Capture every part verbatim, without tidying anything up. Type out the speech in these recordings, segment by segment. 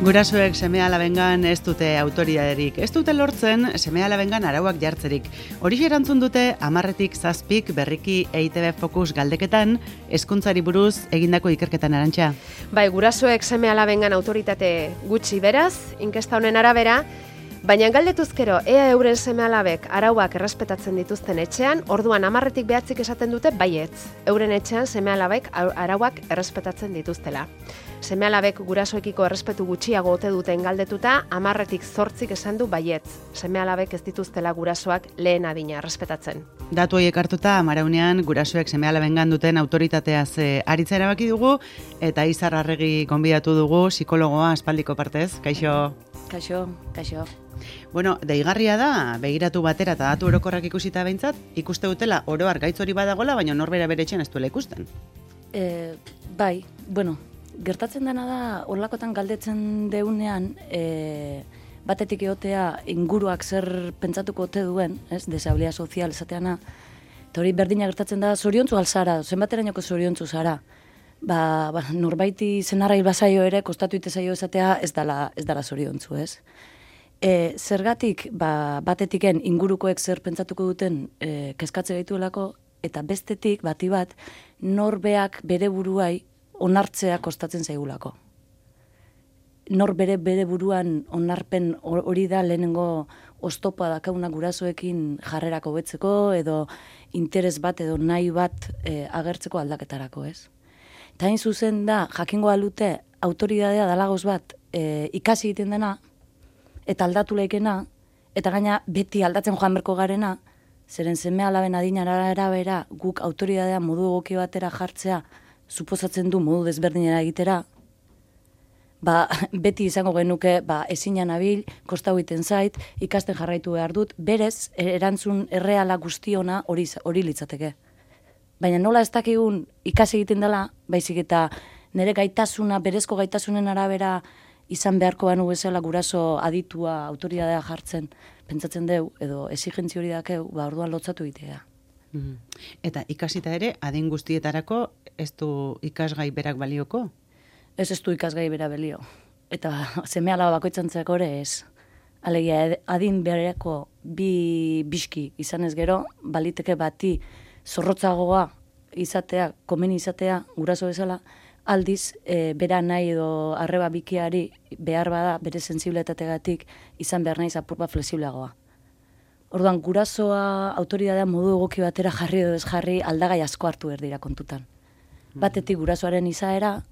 Gurasoek seme-alabengan ez dute autoridaderik, ez dute lortzen seme-alabengan arauak jartzerik. Hori erantzun dute hamarretik zazpik berriki E I Te Be Focus galdeketan, hezkuntzari buruz egindako ikerketan. Arantxa. Bai, gurasoek seme-alabengan autoritate gutxi beraz, inkesta honen arabera, baina galdetuzkero ea euren seme-alabek arauak errespetatzen dituzten etxean, orduan hamarretik behatzik esaten dute baietz. Euren etxean seme-alabek arauak errespetatzen dituztela. Seme-alabek gurasoekiko errespetu gutxiago ote duten galdetuta, hamarretik zortzik esan du baietz. Seme-alabek ez dituztela gurasoak lehen adina errespetatzen. Datu horiek hartuta, amaraunean gurasoek seme-alabengan duten autoritateaz aritza erabaki dugu, eta Izar Arregi gonbidatu dugu, psikologoa aspaldiko partez. Kaixo? Kaixo, kaixo. Bueno, deigarria da, begiratu batera eta datu orokorrak ikusita behintzat, ikuste dutela oroar gaitz hori badagola, baina norbera bere etxean ez duela ikusten. E, bai, bueno, gertatzen dena da, horlakotan galdetzen deunean, e, batetik egotea inguruak zer pentsatuko ote duen, ez, desabilia sozial esateana, eta hori berdina gertatzen da, zoriontzu alzara, zenbaterainoko zoriontzu zara, ba, ba, norbaiti zenarrai bazaio ere, kostatu ite zaio esatea, ez dala, ez dala zoriontzu, ez. E, zergatik, ba, batetiken ingurukoek zer pentsatuko duten e, kezkatze gaituelako, eta bestetik, bati bat, norbeak bere buruai onartzea kostatzen zaigulako. Nor bere bere buruan onarpen hori da lehenengo oztopa dakauna gurasoekin jarrerak hobetzeko edo interes bat edo nahi bat e, agertzeko aldaketarako, ez? Eta hain zuzen da, jakingo alute, autoridadea dalagoz bat e, ikasi egiten dena, eta aldatu leikena, eta gaina beti aldatzen joan berko garena, zeren seme-alaben adinara arabera guk autoridadea modu egoki batera jartzea, suposatzen du modu desberdinera egitera, ba, beti izango genuke ba, ezinan abil, kostau egiten zait, ikasten jarraitu behar dut, berez, erantzun erreala guztiona hori, hori litzateke. Baina nola ez dakigun ikasi egiten dela, baizik eta nire gaitasuna, berezko gaitasunen arabera izan beharko banu bezala guraso aditua, autoridadea jartzen, pentsatzen deu, edo exigentzi hori dakeu, ba, orduan lotzatu egitea. Mm-hmm. Eta ikasita ere, adin guztietarako ez du ikasgai berak balioko? Ez ez du ikasgai bera belio. Eta seme-alaba bakoitzantzako ere ez. Alegia, adin bereko bi biski izan ez gero, baliteke bati zorrotzagoa izatea, komeni izatea, guraso bezala, aldiz, e, bera nahi edo arreba bikiari behar bada bere sensibilitategatik izan behar nahi zapur bat flexibleagoa. Orduan, gurasoa autoridadea modu egoki batera jarri edo ez jarri aldagai asko hartu erdira kontutan. Batetik gurasoaren izaera,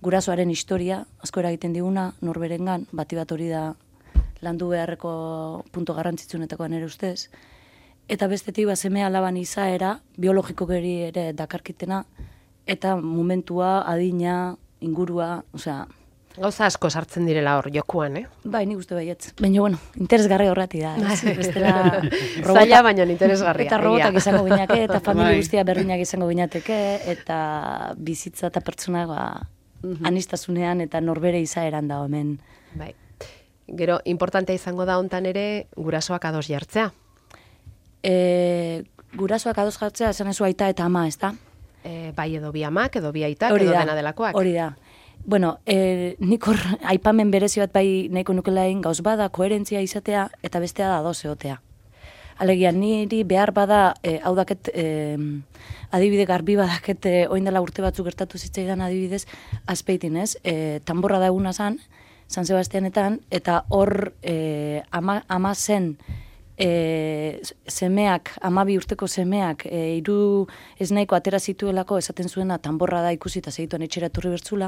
gurasoaren historia, asko eragiten diguna, norberengan, bati bat hori da landu beharreko punto garrantzitsunetakoan ere ustez, eta bestetik ba, seme-alaban izaera, biologiko geri ere dakarkitena, eta momentua, adina, ingurua, osea... Gauza asko sartzen direla hor jokuan, eh? Bai, nik uste baietz. Baina, bueno, interesgarri horrati da. Bestela... Zaila, baina interesgarria. Eta robotak izango binake, eta familia guztia berdinak izango binateke, eta bizitza eta pertsona, ba, anistasunean eta norbere izaeran da hemen. Bai. Gero, importantea izango da hontan ere, gurasoak ados jartzea. E, gurasoak ados jartzea, esan ezu aita eta ama, ez da? E, bai edo bi amak, edo bi aitak, edo dena delakoak. Hori da. Bueno, e, nik hor aipamen berezi bat bai nahiko nukelain gauz bada, koherentzia izatea, eta bestea da ados egotea. Alegia, niri behar bada, e, hau daket, e, adibide garbi badaket, e, oin dela urte batzuk gertatu zitzaidan adibidez, azpeitin, ez? E, tanborra da eguna zan, San Sebastianetan, eta hor e, ama, ama zen, E, semeak, amabi urteko semeak, e, iru ez nahiko atera zituelako esaten zuena tanborra da ikusi eta segituan etxera etorri bertzula,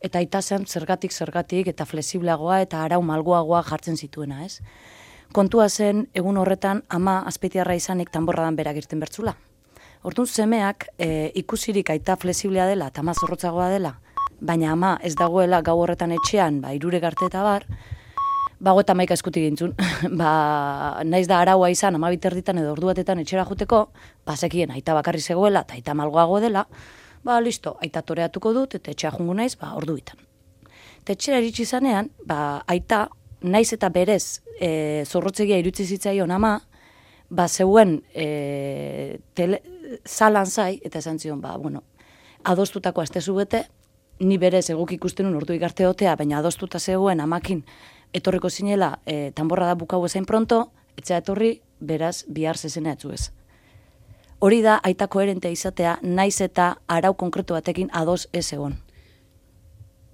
eta aita zen zergatik, zergatik, eta flexibleagoa eta arau malgoagoa jartzen zituena, ez? Kontua zen, egun horretan, ama azpeitiarra izanik tanborradan berak irten bertzula. Orduan semeak e, ikusirik aita flexiblea dela eta ama zorrotzagoa dela, baina ama ez dagoela gau horretan etxean, ba, irure garte eta bar, bago eta maika eskuti gintzun, ba, naiz da araua izan, ama biterditan edo ordu batetan etxera juteko, bazekien aita bakarri zegoela eta aita malgoago dela, ba, listo, aita toreatuko dut, eta etxera jungu naiz, ba, ordu bitan. Eta etxera iritsi zanean, ba, aita, naiz eta berez, e, zorrotzegia irutzi zitzaion ama, ba, zeuen e, tele, zalan zai, eta esan zion, ba, bueno, adostutako astezu bete, ni berez eguk ikusten un ordu igarte otea, baina adostuta zegoen amakin etorriko zinela e, tanborra da bukau ezain pronto, etxea etorri, beraz, bihar zezena etzu ez. Hori da, aita koherentea izatea, naiz eta arau konkretu batekin ados ez egon.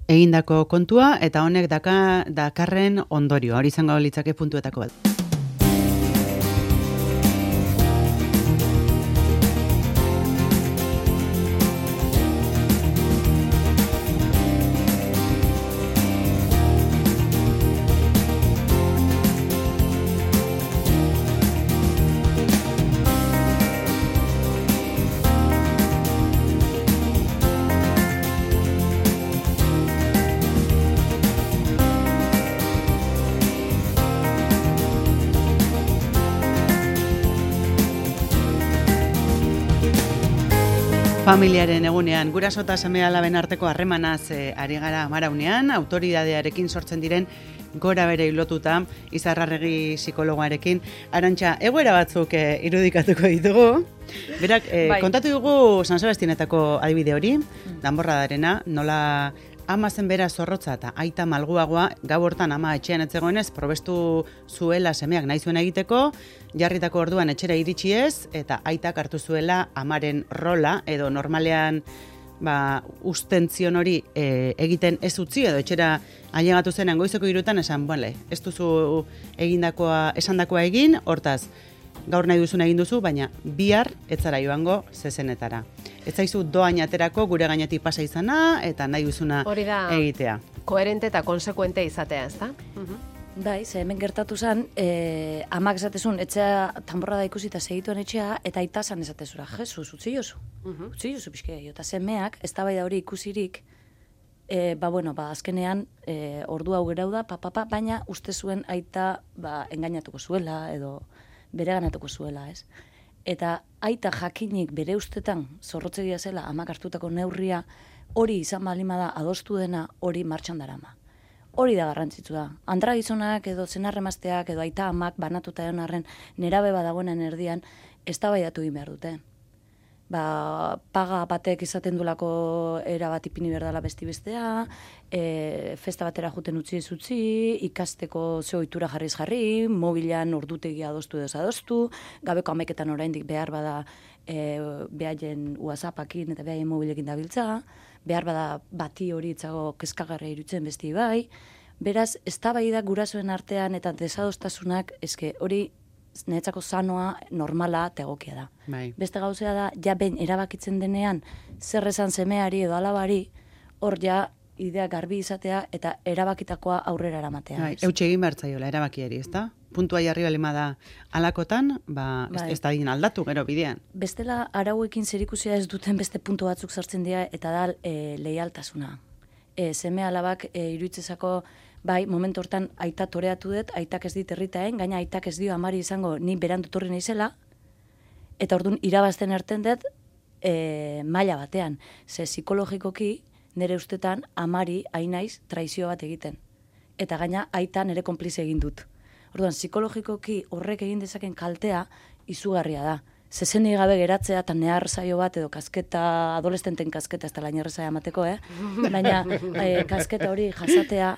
Egindako kontua, eta honek daka, dakarren ondorio, hori izango litzake puntuetako bat. Familiaren egunean, guraso eta seme-alaben arteko harremanaz e, ari gara amaraunean, autoridadearekin sortzen diren gora bere lotuta, Izarrarregi psikologoarekin. Arantxa, egoera batzuk e, irudikatuko ditugu. Berak, e, bai. Kontatu dugu San Sebastianetako adibide hori, danborradarena, nola ama zen bera zorrotza eta aita malguagoa, gau hortan ama etxean etzegoenez, probestu zuela semeak nahi zuen egiteko, jarritako orduan etxera iritsi ez, eta aitak hartu zuela amaren rola, edo normalean ba, ustentzion hori e, egiten ez utzi, edo etxera ailegatu zenean goizeko irutan, esan, bale, ez duzu egindakoa, esandakoa egin, hortaz, gaur nahi duzuna egin duzu, baina bihar etzara joango zezenetara. Ez zaizu doain aterako gure gainetik pasa izana, eta nahi duzuna egitea. Koherente eta konsekuente izatea, ez da? Uh-huh. Bai, ze hemen gertatu zen, eh, amak esatezun, etxea tanborra da ikusita segituen etxea, eta aita zan esatezura, Jesus, utzi jozu, uh-huh. utzi jozu pixke, eta semeak, ez da bai da hori ikusirik, e, ba, bueno, ba, azkenean, e, ordu hau gerau da, pa, pa, pa, baina uste zuen aita, ba, engainatuko zuela, edo bere ganatuko zuela, ez? Eta aita jakinik bere ustetan zorrotzegia zela amak hartutako neurria, hori izan balima da adostu dena, hori martxan darama. Hori da garrantzitsu da. Andra gizonak edo zenarremazteak edo aita amak banatuta egon arren nerabe badagoenen erdian eztabaidatu egin behar dute. Ba, paga batek izaten dulako era bat ipini behar dela besti bestea, e, festa batera juten utzi ez utzi, ikasteko ze ohitura jarriz jarri, mobilan ordutegia adostu edo adostu, gabeko hamaiketan oraindik behar bada e, behaien WhatsAppakin eta behaien mobilekin dabiltza, behar bada bati hori itzago kezkagarra irutzen besti bai, beraz, eztabaida gurasoen artean eta desadostasunak, eske hori netzako sanoa, normala, tegokia da. Bai. Beste gauzea da, ja ben erabakitzen denean, zer esan semeari edo alabari, hor ja idea garbi izatea eta erabakitakoa aurrera eramatea. Bai, eutxe egin behar zaiola erabakiari, ezta? Puntua jarri balima da alakotan, ba, bai. ez, ez da digin aldatu gero bidean. Bestela, arauekin zerikusia ez duten beste puntu batzuk sartzen dira, eta da e, leialtasuna. E, seme alabak e, iruitzezako, bai, momentu hortan aita toreatu dut, aitak ez dit herritaen, gaina aitak ez dio amari izango ni berandu torri naizela, eta orduan irabazten erten dut e, maila batean. Ze psikologikoki nire ustetan amari ainaiz traizio bat egiten. Eta gaina aita nire konplize egin dut. Orduan, psikologikoki horrek egin dezaken kaltea izugarria da. Zezenei gabe geratzea eta nehar zaio bat edo kasketa, adolescenten kasketa, ez da lain errezaia amateko, eh? Baina e, kasketa hori jasatea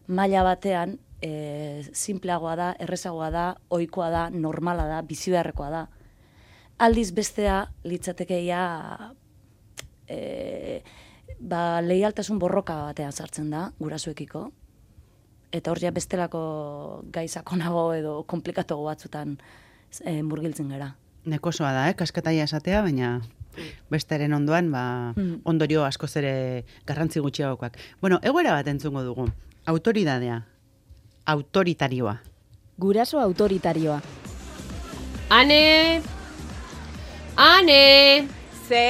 maila batean e, simpleagoa da, errezagoa da, ohikoa da, normala da, bizi beharrekoa da. Aldiz bestea litzatekeia e, ba, leialtasun borroka batean sartzen da, gurasoekiko. Eta hor ja bestelako gaizakonago edo komplikatuago batzutan e, murgiltzen gara. Nekosoa da, eh? Kasketaia esatea, baina besteren ondoan ba, mm. ondorio askoz ere garrantzi gutxiagokoak. Bueno, egoera bat entzungo dugu. Autoridadea. Autoritarioa. Guraso autoritarioa. Ane! Ane! Ze!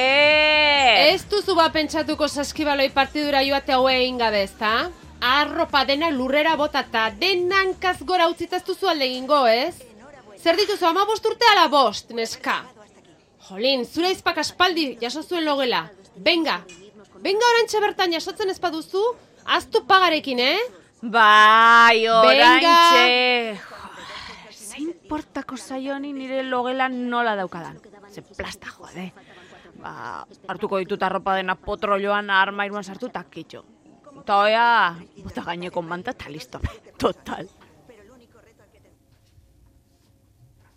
Ez duzu ba pentsatuko saskibaloi partidura joate haue egin gabe, ezta? Arropa dena lurrera botata, denan kazgora utzitaz duzu alde egingo, ez? Zer dituzu, ama bost urte ala bost, neska? Jolin, zure izpak aspaldi jaso zuen logela. Benga! Benga orantxe bertan jasotzen ez baduzu, aztu pagarekin, eh? Bai, orantxe! Zein portako zaioni nire logela nola daukadan. Ze plasta, jode. ba, hartuko ditut arropa dena potrolloan armairuan sartu eta kitxo. Eta oia, bota gaineko manta eta listo, total.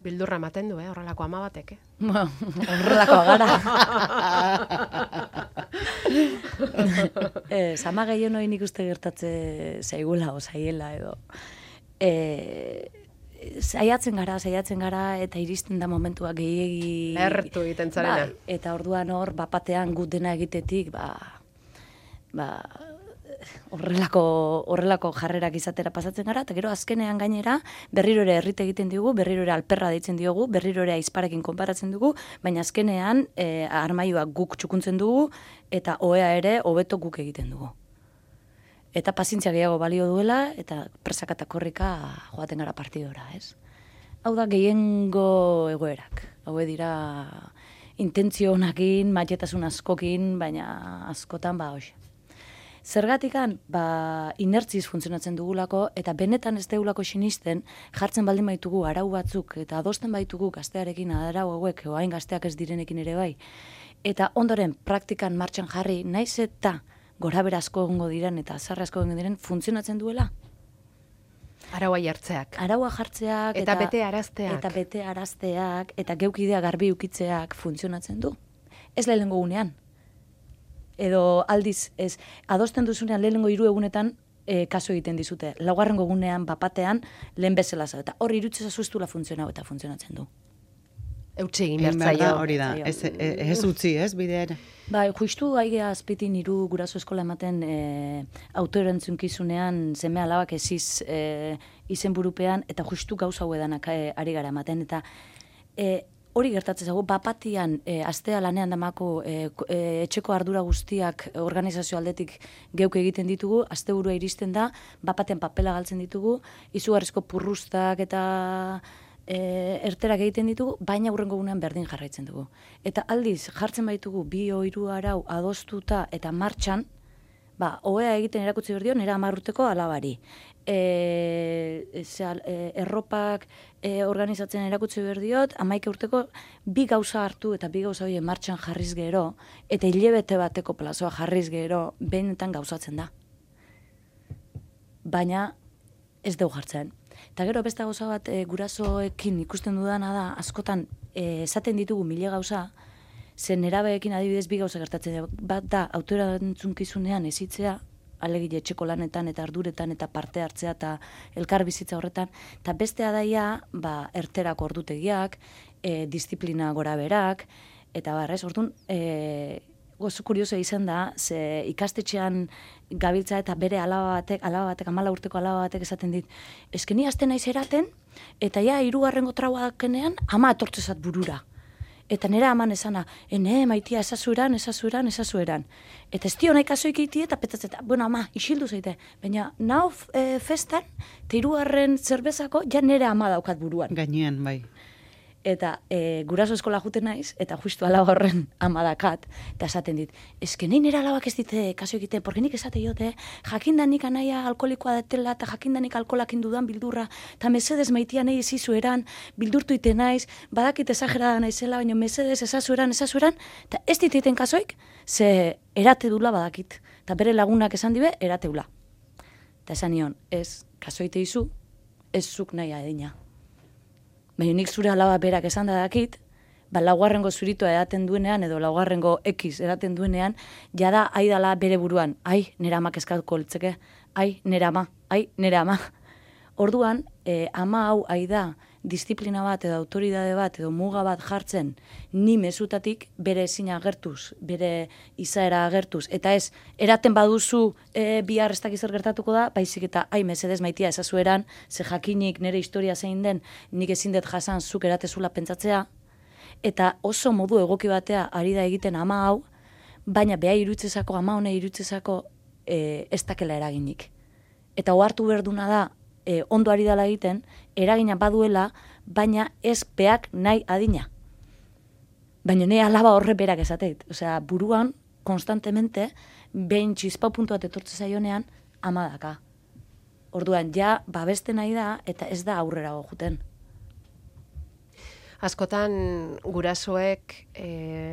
Bildurra ematen du, eh, horrelako ama batek, eh? Horrelako gara. eh, Sama gehien hori nik uste gertatze zaigula, osaiela edo. Eh, Saiatzen gara, saiatzen gara, eta iristen da momentua gehiegi... Ertu egiten zarena. Bai, eta orduan hor, bapatean gut dena egitetik, ba... ba horrelako, horrelako jarrerak izatera pasatzen gara, eta gero azkenean gainera berriro ere errite egiten diogu, berriro ere alperra deitzen diogu, berriro ere aizparekin konparatzen dugu, baina azkenean e, armaioak guk txukuntzen dugu, eta ohea ere hobeto guk egiten dugu. Eta pazientzia gehiago balio duela, eta presaka eta korrika joaten gara partidora, ez? Hau da gehiengo egoerak. Hau dira intentzio honakin, maitetasun askokin, baina askotan ba hoxe. Zergatikan, ba, inertziz funtzionatzen dugulako, eta benetan ez dugulako sinisten, jartzen baldin baitugu arau batzuk, eta adosten baitugu gaztearekin arau hauek, oain gazteak ez direnekin ere bai. Eta ondoren praktikan martxan jarri, naiz eta gorabera asko egongo diren, eta azarra asko egongo diren, funtzionatzen duela. Araua jartzeak. Araua jartzeak. Eta, eta bete arazteak. Eta bete arazteak, eta geukidea garbi ukitzeak funtzionatzen du. Ez lehenengo unean. Edo aldiz, ez, adosten duzunean lehenengo hiru egunetan e, kaso egiten dizute. Laugarrengo egunean, bapatean, lehen bezala za. Eta hor irutzeza zuztula funtzionau eta funtzionatzen du. Eutxe egin bertzaio. Hori da, ez, ez utzi, ez, bidean. Bai, justu aigea azpitin hiru guraso eskola ematen e, autoerantzunkizunean seme alabak eziz e, izenburupean, eta justu gauza hau edanak e, ari gara ematen. Eta e, hori gertatzen zago, bapatian e, astea lanean damako e, e, etxeko ardura guztiak organizazio aldetik geuk egiten ditugu, asteburua iristen da, bapatean papela galtzen ditugu, izugarrizko purrustak eta e, erterak egiten ditugu, baina hurrengo gunean berdin jarraitzen dugu. Eta aldiz, jartzen baitugu bi o hiru arau adostuta eta martxan, ba, ohea egiten erakutsi berdio nera hamar urteko alabari. E, zera, e, erropak e, organizatzen erakutsi berdiot, hamaika urteko bi gauza hartu eta bi gauza hori martxan jarriz gero, eta hilebete bateko plazoa jarriz gero, benetan gauzatzen da. Baina ez dugu jartzen. Eta gero beste gauza bat e, gurasoekin ikusten dudana da, askotan e, esaten ditugu mile gauza, zen nerabeekin adibidez bi gauza gertatzen. Bat da, autoerantzunkizunean ezitzea, alegile etxeko lanetan eta arduretan eta parte hartzea eta elkar bizitza horretan, eta bestea daia, ba, erterako ordutegiak, e, disiplina gora berak, eta barrez, orduan, e, gozu kurioso izan da, ze ikastetxean gabiltza eta bere alaba batek, alaba batek, amala urteko alaba batek esaten dit, eskeni azten naiz eraten, eta ja, hirugarrengo traua dakenean, ama etortzezat burura. Eta nera aman esana, ene, maitia, esazueran, esazueran, esazueran. Eta ez dio nahi kasoik iti, eta petatzeta, bueno, ama, isildu zaite. Baina, nau e, festan, eta hirugarren zerbezako, ja nera ama daukat buruan. Gainean, bai. Eta e, guraso eskola juten naiz, eta justu alaba horren ama dakat, eta esaten dit, eske nahi nera alabak ez dite kaso egite, porque nik esate jote, jakindanik anaia alkolikoa detela, eta jakindanik alkolakin dudan bildurra, eta mesedez maitia nahi ezizueran, bildurtu ite naiz, badakit esagerada naizela, baina mesedez esazueran, esazueran, eta ez dititen kasoik, ze erate dula badakit. Eta bere lagunak esan dibe, erateula. Eta esan nion, ez kasoite izu, ez zuk nahi adina. Baina nik zure alaba berak esan da dakit, ba, laugarrengo zuritoa edaten duenean, edo laugarrengo X edaten duenean, jada aidala bere buruan, ai, nera amak eskatuko litzeke, ai, nera ama, ai, nera ama. Orduan, eh, ama hau aida disiplina bat edo autoridade bat edo muga bat jartzen ni mezutatik bere ezina agertuz, bere izaera agertuz, eta ez, eraten baduzu e, bihar ez dakiz zer gertatuko da, baizik eta, ai, mesedez maitia ezazueran, ze jakinik nire historia zein den, nik ezin dut jasan zuk eratezula pentsatzea, eta oso modu egoki batea ari da egiten ama hau, baina beha irutzezako, ama hone irutzezako e, ez dakela eraginik. Eta ohartu berduna da, E, ondo ari dela egiten, eragina baduela, baina ez beak nahi adina. Baina nahi alaba horre berak esateit. Osea, buruan, konstantemente, behin txizpau puntu bat etortze zaionean, amadaka. Orduan, ja, babeste nahi da, eta ez da aurrera gojuten. Askotan gurasoek e,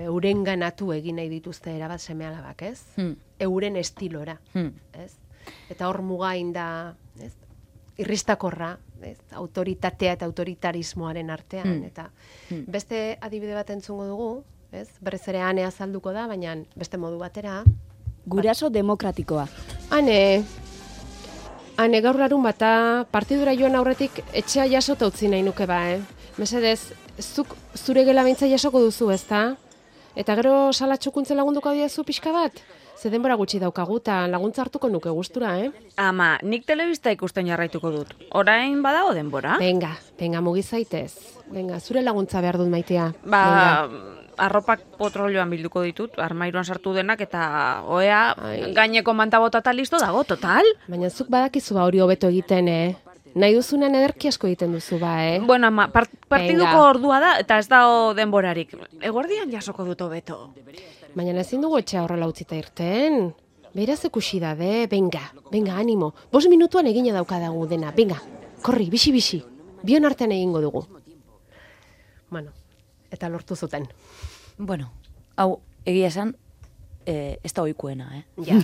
eurenganatu egin nahi dituzte erabat seme-alabak, ez? Hmm. Euren estilora, Hmm. ez? Eta hor mugain da, ez? Irristakorra, ez? Autoritatea eta autoritarismoaren artean, Hmm. eta Hmm. beste adibide bat entzungo dugu, ez? Berriz ere Ane azalduko da, baina beste modu batera. Guraso demokratikoa. Ane, Ane gaur larun bata, partidura joan aurretik etxea jasota utzi nahi nuke ba, eh? Mesedez, zuk zure gela beintza jasoko duzu, ezta? Eta gero salatxukuntze lagunduko diezu pixka bat? Ze denbora gutxi daukagu eta laguntza hartuko nuke gustura, eh? Ama, nik telebista ikusten jarraituko dut. Orain badago denbora? Venga, venga, mugi zaitez. Venga, zure laguntza behar dut maitea. Ba, Venga. arropak potrolioan bilduko ditut, armairuan sartu denak, eta oea Ai. gaineko manta botata listo dago, total? Baina zuk badakizu ba hori hobeto egiten, eh? Nahi duzunean ederki asko egiten duzu ba, eh? Bueno, ama, part, partiduko Venga. ordua da, eta ez dago denborarik. Eguerdian jasoko dut hobeto. Baina ezin dugu etxea horrela utzita irten. Beraz ikusi da, de, venga, venga, animo. Bos minutuan egina daukadagu dena, venga, korri, bisi-bisi. Bion artean egingo dugu. Bueno, eta lortu zuten. Bueno, hau, egia esan, eh, ez da oikuena, eh? Ja.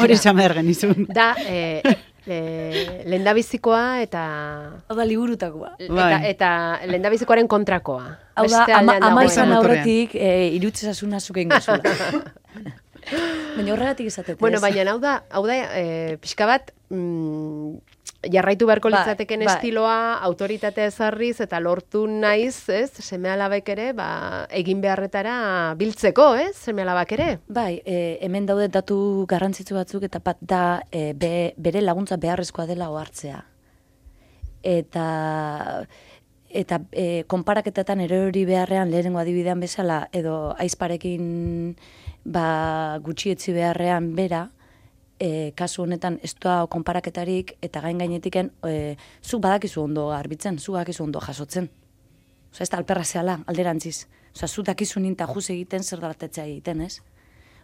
Hori esan behar genizun. Da, eh, eh, lendabizikoa eta... Hau da liburutakoa. Eta, Bai. eta lendabizikoaren kontrakoa. Hau da, Beste ama, aldean ama dagoena. izan Motorrean. aurretik, e, irutzezasuna zuken gozula. Baina horregatik esatet, Bueno, ez? baina hau da, hau da eh, pixka bat, mm, jarraitu beharko Bai, litzateken bai. estiloa, autoritatea ezarriz eta lortu naiz, ez, seme-alabek ere, ba, egin beharretara biltzeko, ez, seme-alabak ere. Bai, e, hemen daude datu garrantzitsu batzuk eta bat da e, be, bere laguntza beharrezkoa dela ohartzea. Eta eta e, konparaketetan erori beharrean lehenengo adibidean bezala edo aizparekin ba, gutxietzi beharrean bera, e, kasu honetan ez da konparaketarik eta gain gainetiken e, zuk badakizu ondo garbitzen, zuk badakizu ondo jasotzen. Osa, ez da alperra zehala, alderantziz. Osa, zu dakizu ninta juz egiten zer dalatetzea egiten, ez?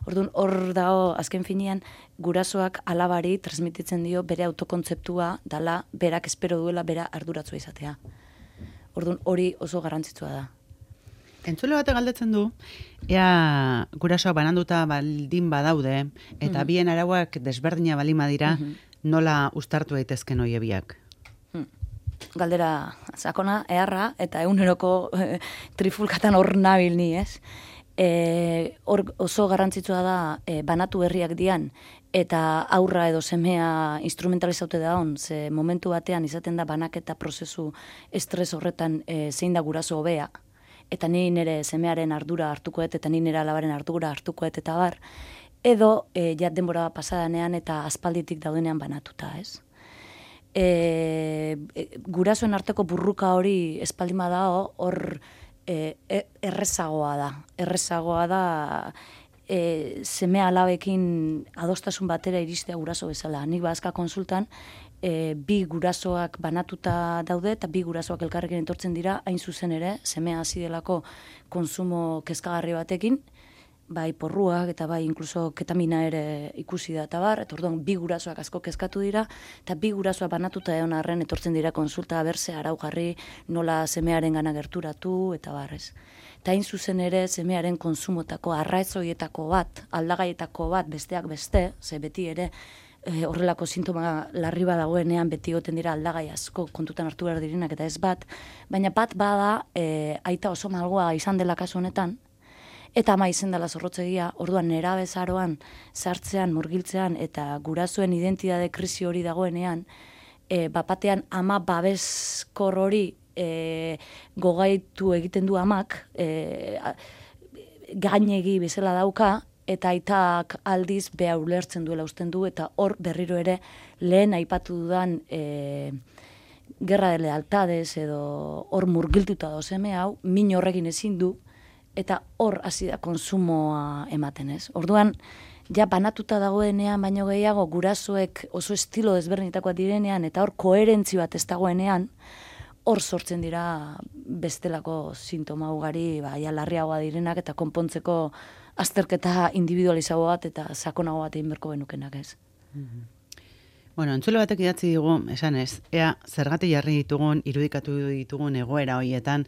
Orduan, hor dago, azken finean, gurasoak alabari transmititzen dio bere autokontzeptua dala, berak espero duela, bera arduratzua izatea. Orduan, hori oso garrantzitsua da. Entzule batek galdetzen du, ea gurasoak bananduta baldin badaude, eta bien arauak desberdina balima dira, nola uztartu daitezken hoie biak. Galdera sakona, eharra, eta eguneroko eh, trifulkatan hor nabil ni, ez? E, hor oso garrantzitsua da e, banatu herriak dian, eta aurra edo semea instrumentalizaute da hon, ze momentu batean izaten da banaketa prozesu estres horretan e, zein da guraso hobea, eta ni nire semearen ardura hartukoet, eta ni nire alabaren ardura hartukoet, eta bar, edo e, jat denbora pasadanean eta aspalditik daudenean banatuta, ez? E, e, gurasoen arteko burruka hori espaldima da, hor e, e, errezagoa da. Errezagoa da e, seme alabekin adostasun batera iristea guraso bezala. Nik bazka konsultan, e, bi gurasoak banatuta daude eta bi gurasoak elkarrekin etortzen dira, hain zuzen ere, semea hasi delako konsumo kezkagarri batekin, bai porruak eta bai inkluso ketamina ere ikusi da eta bar, eta orduan bi gurasoak asko kezkatu dira, eta bi gurasoak banatuta egon arren etortzen dira konsulta berse arau jarri, nola semearen gana gerturatu eta barrez. Eta hain zuzen ere semearen konsumotako arraezoietako bat, aldagaietako bat besteak beste, ze beti ere e, horrelako sintoma larri badagoenean beti goten dira aldagai asko kontutan hartu behar direnak eta ez bat, baina bat bada e, aita oso malgoa izan dela kasu honetan, eta ama izen dela zorrotzegia, orduan nera bezaroan, sartzean, murgiltzean, eta gurasoen identitate krisi hori dagoenean, e, bapatean ama babeskor hori e, gogaitu egiten du amak, e, gainegi bezala dauka, eta aitak aldiz beha ulertzen duela usten du, eta hor berriro ere lehen aipatu dudan e, gerra de lealtades edo hor murgiltuta da seme hau, min horrekin ezin du, eta hor hasi da konsumoa ematen, ez? Orduan, ja banatuta dagoenean, baino gehiago, gurasoek oso estilo desberdinetakoak direnean, eta hor koherentzi bat ez dagoenean, hor sortzen dira bestelako sintoma ugari, ba, ja larriagoa direnak, eta konpontzeko azterketa individualizago bat, eta sakonago bat egin berko benukenak, ez? Bueno, entzule batek idatzi digu, esan ez, ea zergatik jarri ditugun, irudikatu ditugun egoera hoietan,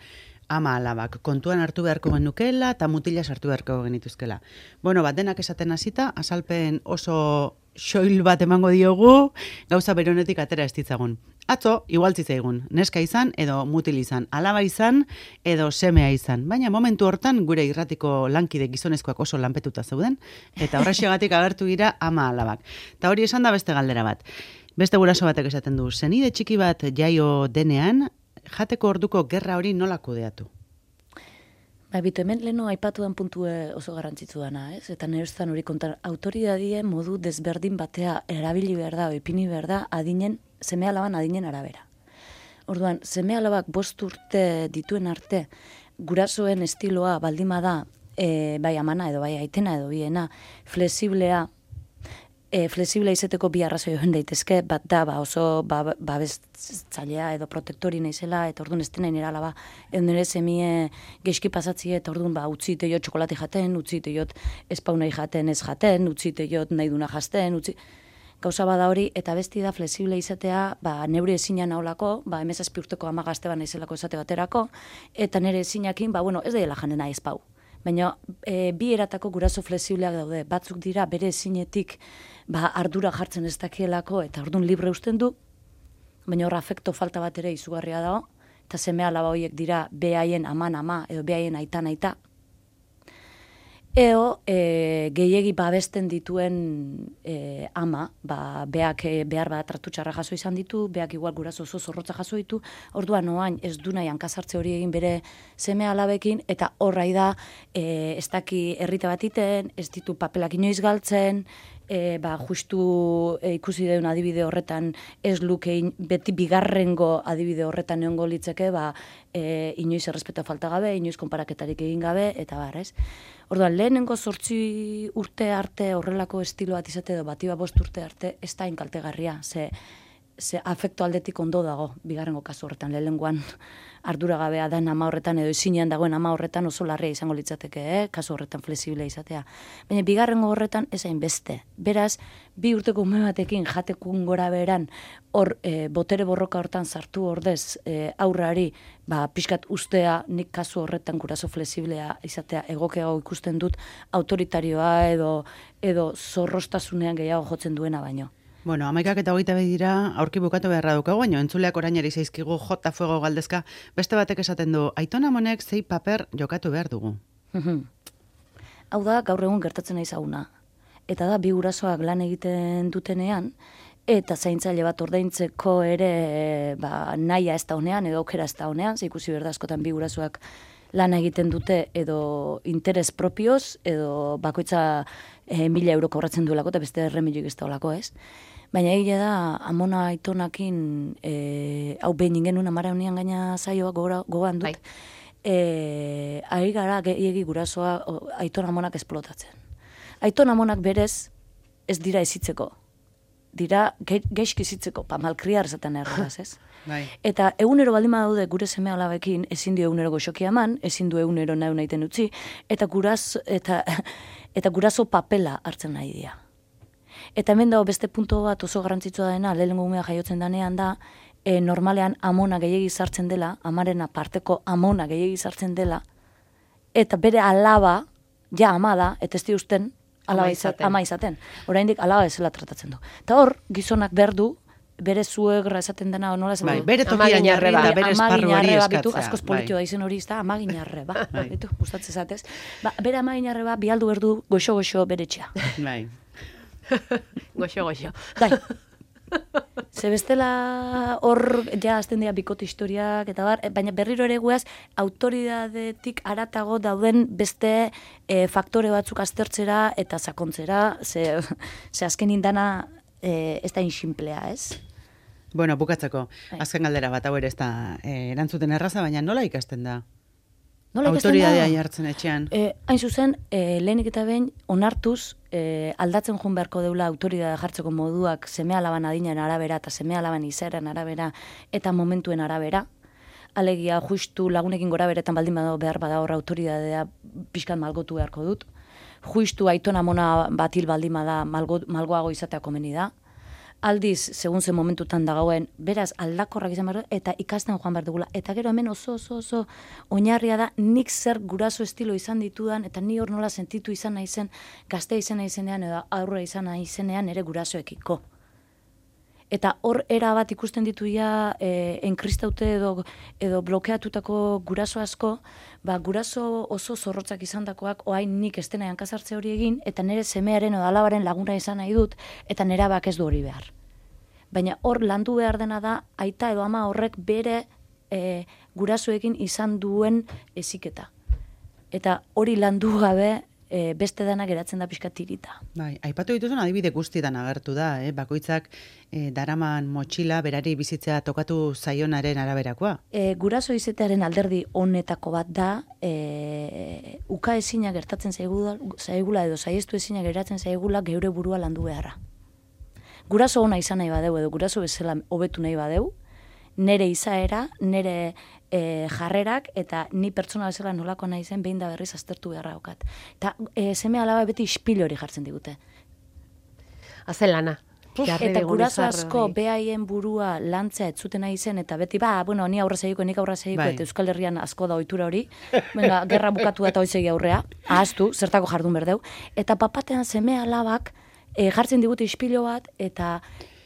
ama alabak, kontuan hartu beharko genukela eta mutila sartu beharko genituzkela. Bueno, bat denak esaten hasita, azalpen oso xoil bat emango diogu, gauza beronetik atera ez ditzagun. Atzo, igual zitzaigun, neska izan edo mutil izan, alaba izan edo semea izan. Baina momentu hortan gure irratiko lankide gizonezkoak oso lanpetuta zeuden, eta horrexegatik agertu dira ama alabak. Eta hori esan da beste galdera bat. Beste guraso batek esaten du, zenide txiki bat jaio denean, jateko orduko gerra hori nola kudeatu? Ba, bitu, hemen leheno aipatuan puntu oso garrantzitsu dana, ez? Eta nereztan hori kontan, autoridadie modu desberdin batea erabili behar da, ipini behar da, adinen, seme alaban adinen arabera. Orduan, seme alabak bost urte dituen arte, gurasoen estiloa baldima da, e, bai amana edo bai aitena edo biena, flexiblea, E, flexiblea izeteko bi arrazoi joan daitezke, bat da, ba, oso ba, babestzailea edo protektori naizela, eta orduan ez dena nire alaba, edo nire semie geizki pasatzie, eta orduan ba, utzi teiot txokolate jaten, utzi teiot espaunai jaten ez jaten, utzi teiot nahi duna jazten, utzi... Gauza bada hori, eta besti da flexible izatea, ba, neure ezina naholako, ba, emezazpi urteko ama gazte ba naizelako esate baterako, eta nire ezinakin, ba, bueno, ez daiela janena ez pau. Baina e, bi eratako guraso flexibleak daude, batzuk dira bere ezinetik ba, ardura jartzen ez dakielako eta orduan libre usten du, baina horra afekto falta bat ere izugarria dago, eta seme alaba horiek dira behaien aman ama edo behaien aitan aita. Eo e, gehiegi babesten dituen e, ama, ba, beak e, behar bat tratu txarra jaso izan ditu, beak igual guraso oso zorrotza jaso ditu, orduan oain ez du nahi hankasartze hori egin bere seme alabekin, eta horrai da e, ez daki herrita bat iten, ez ditu papelak inoiz galtzen, e, ba, justu e, ikusi deun adibide horretan ez lukein beti bigarrengo adibide horretan egongo litzeke, ba, e, inoiz errespeto falta gabe, inoiz konparaketarik egin gabe, eta bar, ez? Orduan, lehenengo zortzi urte arte horrelako estilo bat izate edo bati bost urte arte ez da inkaltegarria, ze, ze afekto aldetik ondo dago, bigarrengo kasu horretan, lehenengoan arduragabea den ama horretan edo ezinean dagoen ama horretan oso larria izango litzateke, eh? Kasu horretan flexible izatea. Baina bigarrengo horretan ez hain beste. Beraz, bi urteko ume batekin jatekun gora beran, hor e, botere borroka hortan sartu ordez e, aurrari, ba, pixkat ustea nik kasu horretan guraso flexiblea izatea egokeago ikusten dut autoritarioa edo, edo zorrostasunean gehiago jotzen duena baino. Bueno, amaikak eta hogeita behi dira, aurki bukatu beharra dukago, baina entzuleak orainari zaizkigu jota fuego galdezka, beste batek esaten du, Aiton Amonek zei paper jokatu behar dugu. Hau da, gaur egun gertatzen nahi zauna. Eta da, bi gurasoak lan egiten dutenean, eta zaintzaile bat ordaintzeko ere ba, nahia ez da honean, edo aukera ez da honean, ze ikusi berda askotan bi gurasoak lan egiten dute edo interes propioz, edo bakoitza e, mila euro kobratzen duelako, eta beste erremilioik ez da olako, ez? Baina egia da, amona aitonakin, e, hau behin ingen amara unian gaina zaioa gogoan dut, bai. e, ari gara gehiagi gurasoa o, aiton amonak esplotatzen. Aiton amonak berez ez dira ezitzeko, dira ge, geizki ezitzeko, pa malkriar zaten erraz, ez? Bai. Eta egunero baldima daude gure seme alabekin ezin du egunero goxoki eman, ezin du egunero nahi nahiten utzi, eta guraso, eta, eta guraso papela hartzen nahi dira. Eta hemen dago beste punto bat oso garrantzitsua dena, lehenengo umea jaiotzen danean da, e, normalean amona gehiegi sartzen dela, amaren aparteko amona gehiegi sartzen dela, eta bere alaba, ja ama da, eta ez diusten, alaba izaten. ama izaten. Oraindik alaba ezela tratatzen du. Eta hor, gizonak behar du, bere zuegra esaten dena, nola esan bai, du? bere tokian jarri eta bere esparru hori eskatzea. Askoz politio da izen hori izta, amaginarre, ba, bitu, gustatzen zatez. Ba, bere amaginarre ba, bialdu berdu goxo-goxo bere txea. Bai. Goxo-goxo. Bai. Ze bestela hor, ja, azten dira bikote historiak, eta bar, baina berriro ere guaz, autoridadetik aratago dauden beste e, faktore batzuk aztertzera eta sakontzera, ze, ze azken indana e, ez da inximplea, ez? Bueno, bukatzeko, azken galdera bat, hau ere ez da e, erantzuten erraza, baina nola ikasten da? Nola autoridadea jartzen etxean. E, hain zuzen, e, lehenik eta behin, onartuz, e, aldatzen joan beharko deula autoridadea jartzeko moduak seme alaban adinen arabera eta seme alaban izaeran arabera eta momentuen arabera. Alegia, justu lagunekin gora beretan baldin badago behar bada horra autoridadea pixkan malgotu beharko dut. Justu aiton amona batil baldin bada malgo, malgoago izatea komeni da. aldiz, segun ze momentutan da gauen, beraz aldakorrak izan behar du, eta ikasten joan behar dugula. Eta gero hemen oso oso oso oinarria da, nik zer guraso estilo izan ditudan, eta ni hor nola sentitu izan naizen, gazte izan naizenean, edo aurre izan naizenean ere gurasoekiko. Eta hor era bat ikusten ditu ja e, enkristauta edo, edo blokeatutako guraso asko, ba, guraso oso zorrotzak izandakoak oain nik ez dena hankasartze hori egin, eta nire semearen edo alabaren laguna izan nahi dut, eta nera bak ez du hori behar. Baina hor landu behar dena da, aita edo ama horrek bere e, gurasoekin izan duen heziketa. Eta hori landu gabe, E, beste dana geratzen da pixka tirita. Bai, aipatu dituzun adibide guztietan agertu da, eh? Bakoitzak eh, daraman motxila berari bizitzea tokatu zaionaren araberakoa. E, guraso izatearen alderdi honetako bat da, e, uka ezina gertatzen zaigula, zaigula edo saiestu ezina geratzen zaigula geure burua landu beharra. Guraso ona izan nahi badeu edo guraso bezala hobetu nahi badeu, nere izaera, nere e, jarrerak, eta ni pertsona bezala nolako nahi zen behin da berriz aztertu beharra okat. Eta e, seme alaba beti ispil hori jartzen digute. Hazen lana. Eta guraso asko behaien burua lantzea ez zuten nahi zen, eta beti, ba, bueno, ni aurra segiko, nik aurra segiko, bai. Eta Euskal Herrian asko da ohitura hori, venga, gerra bukatu eta hoizegi aurrea, ahaztu, zertako jardun berdeu, eta papatean seme alabak e, jartzen digute ispilo bat, eta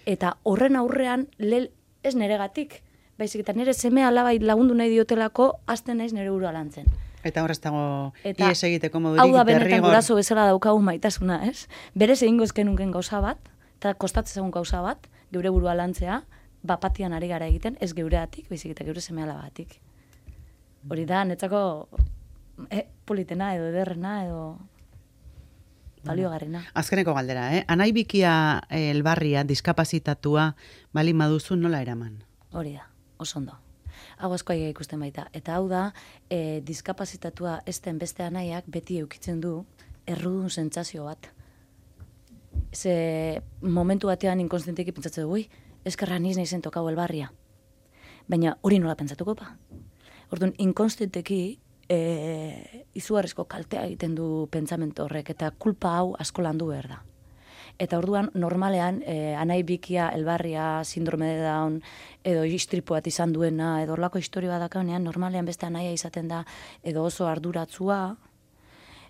eta horren aurrean, lel, ez neregatik, baizik eta nire seme alabai lagundu nahi diotelako, hasten naiz nire burua lantzen. Eta horrez dago Eta ies egiteko modurik hau da benetan derrigor. guraso bezala daukagu maitasuna, ez? Berez egingo ezkenunken gauza bat, eta kostatzen egun gauza bat, geure burua lantzea, bapatian ari gara egiten, ez geureatik, baizik eta geure seme alabatik. Hori da, netzako eh, politena edo ederrena edo baliogarrena. Azkeneko galdera, eh? Anai bikia eh, elbarria, diskapazitatua, bali maduzu nola eraman? Hori da, oso ondo. Hau askoa ikusten baita. Eta hau da, e, diskapazitatua esten beste anaiak beti eukitzen du errudun sentsazio bat. Ze momentu batean inkonstienteki pentsatzen du, ui, eskerra niz nahi zen tokau elbarria. Baina hori nola pentsatuko pa? Orduan, inkonstienteki e, izugarrizko kaltea egiten du pentsamentu horrek, eta kulpa hau asko landu behar da. Eta orduan, normalean, eh, anai bikia, elbarria, sindrome de Down, edo istripu bat izan duena, edo orlako historia bat dakaunean, normalean beste anaia izaten da, edo oso arduratzua,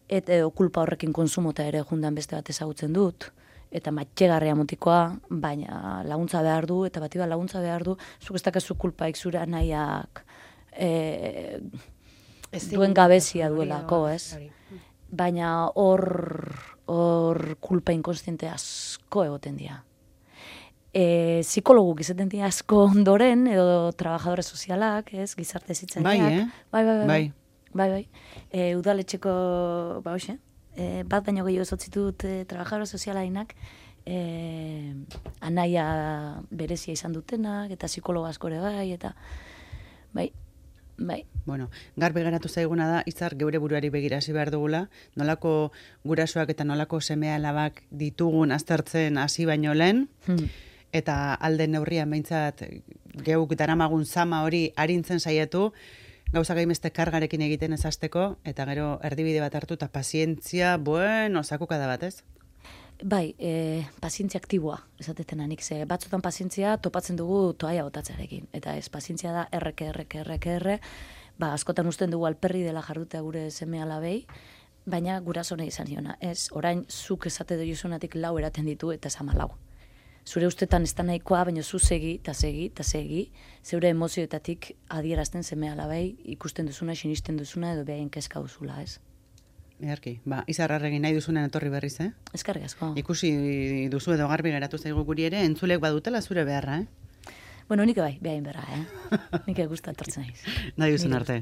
et, edo kulpa horrekin konsumota ere jundan beste bat ezagutzen dut, eta matxegarria motikoa, baina laguntza behar du, eta bati bat laguntza behar du, zuk ez dakazu kulpaik zure anaiak eh, duen gabezia duelako, ez? Baina hor hor kulpa inkonstiente asko egoten dira. E, psikologuk izaten dira asko ondoren, edo trabajadore sozialak, ez, gizarte zitzaileak. Bai, eh? Bai, bai, bai. Bai. bai, bai. E, udaletxeko, ba, hoxe, e, bat baino gehiago ezotzitut e, trabajadore sozialainak, e, anaia berezia izan dutenak, eta psikologo asko ere bai, eta bai, bai. Bueno, garbi geratu zaiguna da, izar geure buruari begirasi behar dugula, nolako gurasoak eta nolako semea alabak ditugun aztertzen hasi baino lehen, Hmm. eta alde neurrian behintzat geuk daramagun zama hori arintzen saiatu, gauza gaimeste kargarekin egiten ez hasteko, eta gero erdibide bat hartu eta pazientzia, bueno, sakuka da bat, ez? Bai, e, pazientzia aktiboa, esatetan anik, ze batzutan pazientzia topatzen dugu toaia botatzearekin, eta ez, pazientzia da erreke, erreke, erreke, erre, ba, askotan usten dugu alperri dela jardutea gure seme alabei, baina guraso nahi izan diona, ez, orain zuk esate doizunatik lau eraten ditu, eta ez ama lau. Zure ustetan ez da nahikoa, baina zu segi, eta segi, eta segi, zeure emozioetatik adierazten seme alabei, ikusten duzuna, sinisten duzuna, edo behaien kezka duzula, ez. Earki, ba, izarrarregin nahi duzunen etorri berriz, eh? Eskerrik asko. Ikusi duzu edo garbi geratu zaigu guri ere, entzulek badutela zure beharra, eh? Bueno, nik bai, behain berra, eh? Nik gusta etortzen naiz. Nahi duzun Nire arte.